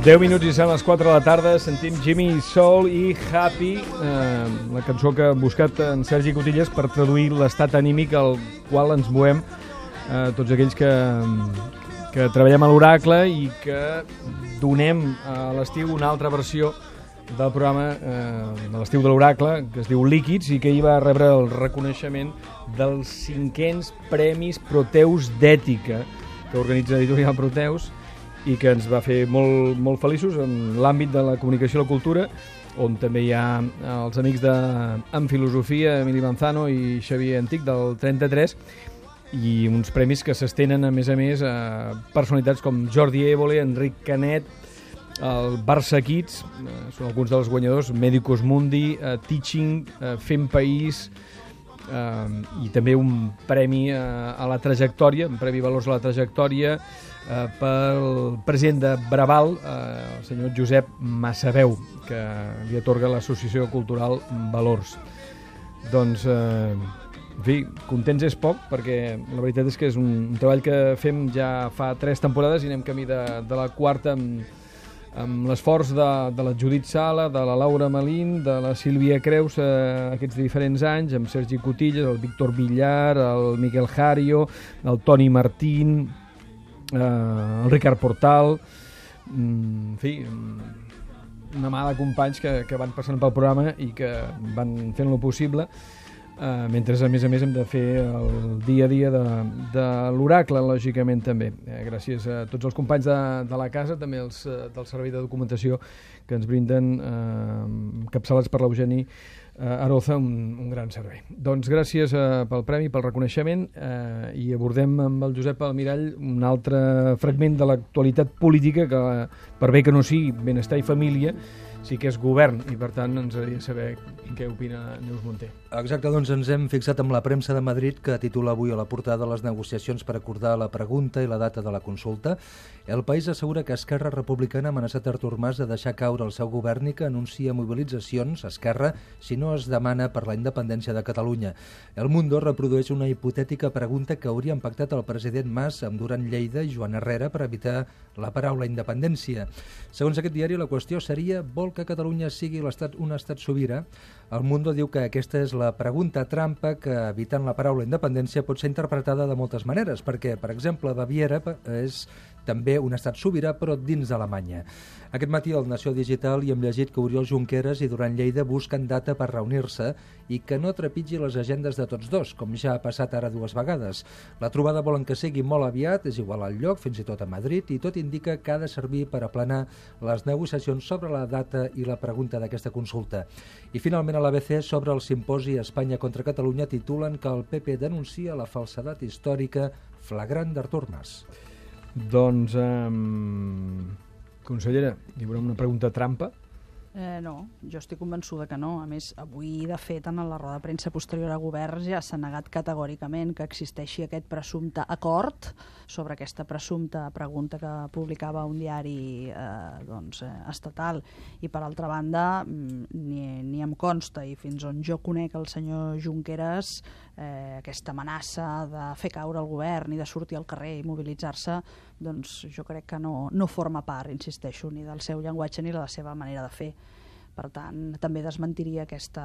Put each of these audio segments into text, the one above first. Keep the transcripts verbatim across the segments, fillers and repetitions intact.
deu minuts i són les quatre de la tarda, sentim Jimmy Soul i Happy, eh, la cançó que ha buscat en Sergi Cotillas per traduir l'estat anímic al qual ens movem eh, tots aquells que, que treballem a l'Oracle i que donem a l'estiu una altra versió del programa eh, de l'estiu de l'Oracle, que es diu Líquids, i que hi va rebre el reconeixement dels cinquens Premis Proteus d'Ètica que organitza Editorial Proteus i que ens va fer molt, molt feliços en l'àmbit de la comunicació i la cultura, on també hi ha els amics de En Filosofia, Emili Manzano i Xavier Antic, del trenta-tres, i uns premis que s'estenen, a més a més, a personalitats com Jordi Évole, Enric Canet, el Barça Kids, eh, són alguns dels guanyadors, Medicus Mundi, eh, Teaching, eh, Fem País, eh, i també un premi eh, a la trajectòria, un premi Valors a la Trajectòria, eh, pel president de Braval, eh, el senyor Josep Massaveu, que li atorga l'Associació Cultural Valors. Doncs, eh, en fi, contents és poc, perquè la veritat és que és un, un treball que fem ja fa tres temporades i anem camí de, de la quarta amb, amb l'esforç de, de la Judit Sala, de la Laura Malín, de la Sílvia Creus eh, aquests diferents anys, amb Sergi Cotillas, el Víctor Villar, el Miquel Jario, el Toni Martín, eh, el Ricard Portal, mm, en fi, una mà de companys que, que van passant pel programa i que van fent lo possible, Uh, mentre a més a més hem de fer el dia a dia de, de l'Oracle, lògicament també. Eh, gràcies a tots els companys de, de la casa, també els uh, del servei de documentació que ens brinden, uh, capçalats per l'Eugeni uh, Aroza, un, un gran servei. Doncs gràcies uh, pel premi, pel reconeixement, uh, i abordem amb el Josep Almirall un altre fragment de l'actualitat política que, per bé que no sigui benestar i família, sí que és govern, i per tant ens agradaria saber què opina Neus Munté. Exacte, doncs ens hem fixat amb la premsa de Madrid, que titula avui a la portada les negociacions per acordar la pregunta i la data de la consulta. El País assegura que Esquerra Republicana ha amenaçat Artur Mas de deixar caure el seu govern i que anuncia mobilitzacions a Esquerra si no es demana per la independència de Catalunya. El Mundo reprodueix una hipotètica pregunta que haurien pactat el president Mas amb Duran Lleida i Joan Herrera per evitar la paraula independència. Segons aquest diari, la qüestió seria: vol que Catalunya sigui l'estat, un estat sobirà? El Mundo diu que aquesta és la pregunta trampa que, evitant la paraula independència, pot ser interpretada de moltes maneres, perquè, per exemple, Baviera és també un estat sobirà, però dins d'Alemanya. Aquest matí al Nació Digital hi hem llegit que Oriol Junqueras i Duran Lleida busquen data per reunir-se i que no trepitgi les agendes de tots dos, com ja ha passat ara dues vegades. La trobada volen que sigui molt aviat, és igual al lloc, fins i tot a Madrid, i tot indica que ha de servir per aplanar les negociacions sobre la data i la pregunta d'aquesta consulta. I finalment a l'A B C, sobre el simposi Espanya contra Catalunya, titulen que el P P denuncia la falsedat històrica flagrant d'Artur Mas. Doncs, um, consellera, hi haurà una pregunta trampa? Eh, no, jo estic convençuda que no. A més, avui, de fet, en la roda de premsa posterior a govern ja s'ha negat categòricament que existeixi aquest presumpte acord sobre aquesta presumpta pregunta que publicava un diari eh, doncs, eh, estatal. I, per altra banda, ni, ni em consta, i fins on jo conec el senyor Junqueras, eh, aquesta amenaça de fer caure el govern i de sortir al carrer i mobilitzar-se, doncs jo crec que no, no forma part, insisteixo, ni del seu llenguatge ni de la seva manera de fer. Per tant, també desmentiria aquesta,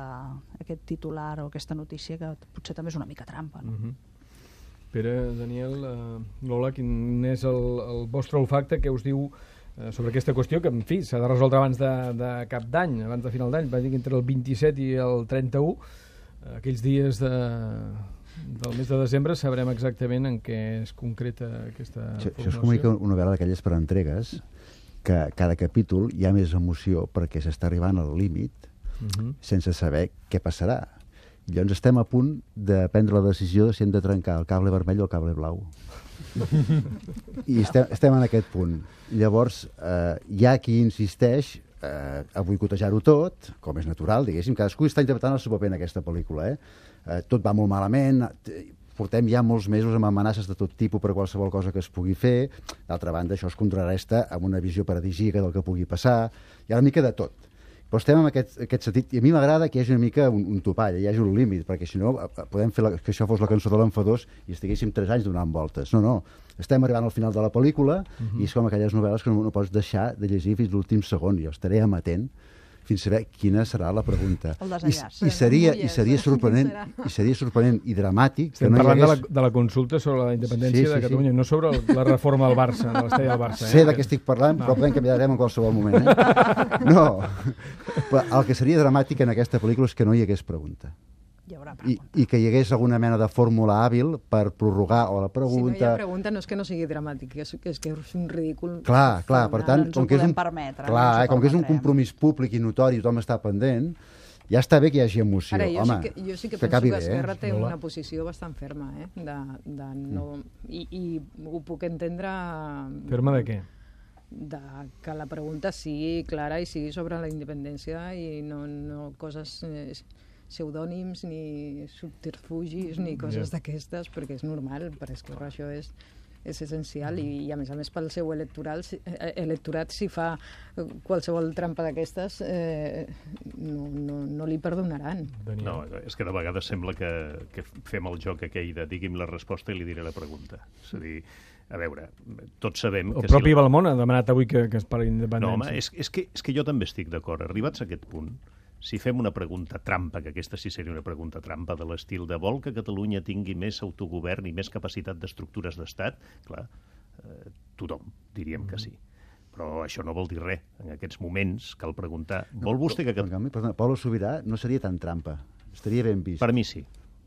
aquest titular o aquesta notícia, que potser també és una mica trampa. No? Uh-huh. Pere, Daniel, uh, Lola, quin és el, el vostre olfacte? Què us diu uh, sobre aquesta qüestió que, en fi, s'ha de resoldre abans de, de cap d'any, abans de final d'any, va dir que entre el vint-i-set i el trenta-u, uh, aquells dies de... del mes de desembre sabrem exactament en què es concreta aquesta això, formulació. Això és com una, una novel·la d'aquelles per entregues, que cada capítol hi ha més emoció perquè s'està arribant al límit uh-huh. sense saber què passarà. I llavors estem a punt de prendre la decisió de si hem de trencar el cable vermell o el cable blau. I estem, estem en aquest punt. Llavors, eh, hi ha qui insisteix eh, a boicotejar-ho tot, com és natural, diguéssim. Cadascú està interpretant el seu paper en aquesta pel·lícula. Eh? Eh, tot va molt malament, portem ja molts mesos amb amenaces de tot tipus per qualsevol cosa que es pugui fer. D'altra banda, això es contrarresta amb una visió paradisíaca del que pugui passar. Hi ha una mica de tot. Però estem en aquest, aquest sentit, i a mi m'agrada que hi hagi una mica un, un topall, hi hagi un límit, perquè si no podem fer la, que això fos la cançó de l'Enfadós i estiguéssim tres anys donant voltes. No, no, estem arribant al final de la pel·lícula uh-huh. i és com aquelles novel·les que no, no pots deixar de llegir fins l'últim segon. Jo estaré amatent fins a saber quina serà la pregunta. El desenllaç. I, i, seria, i, seria sorprenent, I seria sorprenent i dramàtic... Estem que no parlant hagués... de, la, de la consulta sobre la independència sí, sí, de Catalunya, sí. no sobre el, la reforma del Barça, de l'estadi del Barça. Sé eh? de què estic parlant, no. però podem canviar de tema en qualsevol moment. Eh? No, però el que seria dramàtic en aquesta pel·lícula és que no hi hagués pregunta. Hi haurà I, pregunta. I que hi hagués alguna mena de fórmula hàbil per prorrogar o la pregunta... Si no hi ha pregunta no és que no sigui dramàtic, és que és, que és un ridícul... Clar, clar, per tant, no com que és un, permetre, clar, no eh, com que és un compromís públic i notori, tothom està pendent, ja està bé que hi hagi emoció. Ara, jo, Home, sí que, jo sí que, que penso que bé, Esquerra eh? té una posició bastant ferma, eh? De, de no, i, I ho puc entendre... Ferma de què? De que la pregunta sigui clara i sigui sobre la independència i no, no coses... Eh, pseudònims, ni subterfugis, ni coses yeah. d'aquestes, perquè és normal, per Esquerra això és, és essencial i, i a més a més pel seu electoral, eh, electorat si fa qualsevol trampa d'aquestes eh, no, no, no li perdonaran. No, és que de vegades sembla que, que fem el joc aquell de digui'm la resposta i li diré la pregunta. És a dir, a veure, tots sabem... El que propi si la... Balmón ha demanat avui que, que es parli d'independència. No, home, és, és, que, és que jo també estic d'acord. Arribats a aquest punt, si fem una pregunta trampa, que aquesta sí seria una pregunta trampa de l'estil de vol que Catalunya tingui més autogovern i més capacitat d'estructures d'estat, clar, eh, tothom diríem que sí. Però això no vol dir res. En aquests moments cal preguntar, vol vostè que... Perdona, Pablo Sobirà no seria tan trampa. Estaria ben vist. Per mi sí.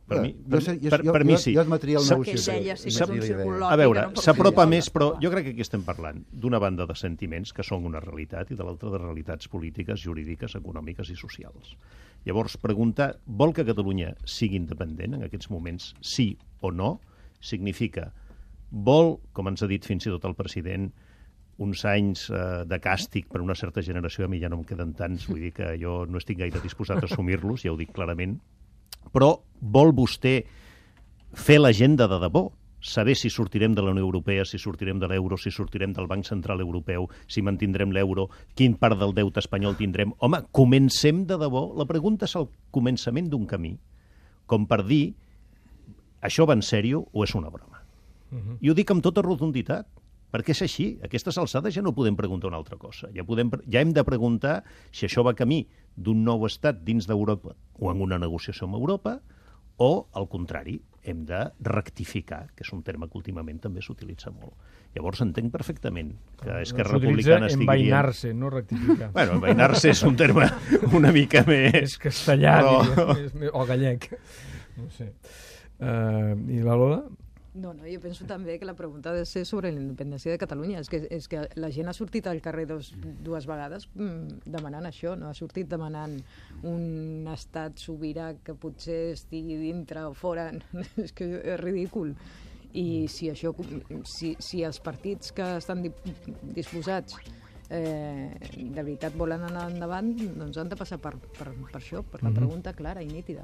Per mi, per, jo, jo, per, per jo, mi sí. Jo admetria el negociació. Que ella sí que és un círcul lògic. A veure, s'apropa més, però jo crec que aquí estem parlant d'una banda de sentiments que són una realitat i de l'altra de realitats polítiques, jurídiques, econòmiques i socials. Llavors, preguntar, vol que Catalunya sigui independent en aquests moments, sí o no, significa, vol, com ens ha dit fins i tot el president, uns anys eh, de càstig per una certa generació, a mi ja no em queden tants, vull dir que jo no estic gaire disposat a assumir-los, ja ho dic clarament, però vol vostè fer l'agenda de debò? Saber si sortirem de la Unió Europea, si sortirem de l'euro, si sortirem del Banc Central Europeu, si mantindrem l'euro, quin part del deute espanyol tindrem? Home, comencem de debò. La pregunta és el començament d'un camí, com per dir, això va en sèrio o és una broma? Uh-huh. I ho dic amb tota rotunditat, perquè és així. A aquestes alçades ja no podem preguntar una altra cosa. Ja, podem, ja hem de preguntar si això va camí d'un nou estat dins d'Europa o en una negociació amb Europa, o, al contrari, hem de rectificar, que és un terme que últimament també s'utilitza molt. Llavors entenc perfectament que Esquerra Republicana estigui... S'utilitza envainar-se, no rectificar. Bueno, envainar-se és un terme una mica més... És castellà, però... diria, o gallec. No sé. Uh, I la Lola? No, no, jo penso també que la pregunta ha de ser sobre la independència de Catalunya. És que, és que la gent ha sortit al carrer dos, dues vegades mm, demanant això, no? Ha sortit demanant un estat sobirà que potser estigui dintre o fora. És que és ridícul. I si això, si, si els partits que estan disposats eh, de veritat volen anar endavant, doncs han de passar per, per, per això, per la pregunta clara i nítida.